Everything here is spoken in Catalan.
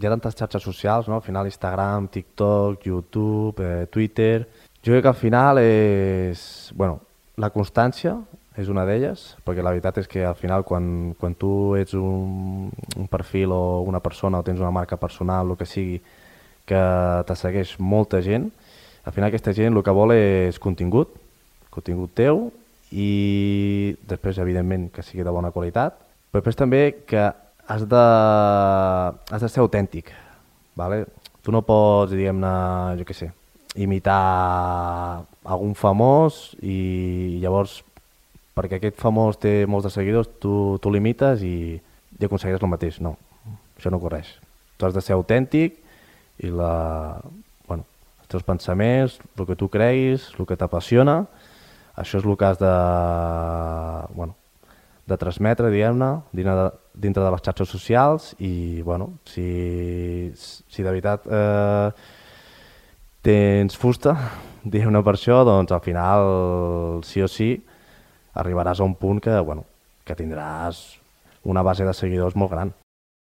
hi ha tantes xarxes socials, no? Al final Instagram, TikTok, YouTube, Twitter... Jo crec que al final és... Bueno, la constància és una d'elles, perquè la veritat és que al final quan tu ets un perfil o una persona o tens una marca personal, el que sigui, que te segueix molta gent, al final aquesta gent el que vol és contingut teu i després, evidentment, que sigui de bona qualitat, però després també que has de ser autèntic, ¿vale? Tu no pots, diguem-ne, jo què sé, imitar algun famós i llavors, perquè aquest famós té molts de seguidors, tu l'imites i aconseguiràs el mateix. No, això no correix. Tu has de ser autèntic i bueno, els teus pensaments, el que tu creguis, el que t'apassiona, això és el que has bueno, de transmetre, diguem-ne, dintre de les xarxes socials i, bueno, si de veritat tens fusta, diguem-ne per això, doncs al final, sí o sí, arribaràs a un punt que, bueno, que tindràs una base de seguidors molt gran.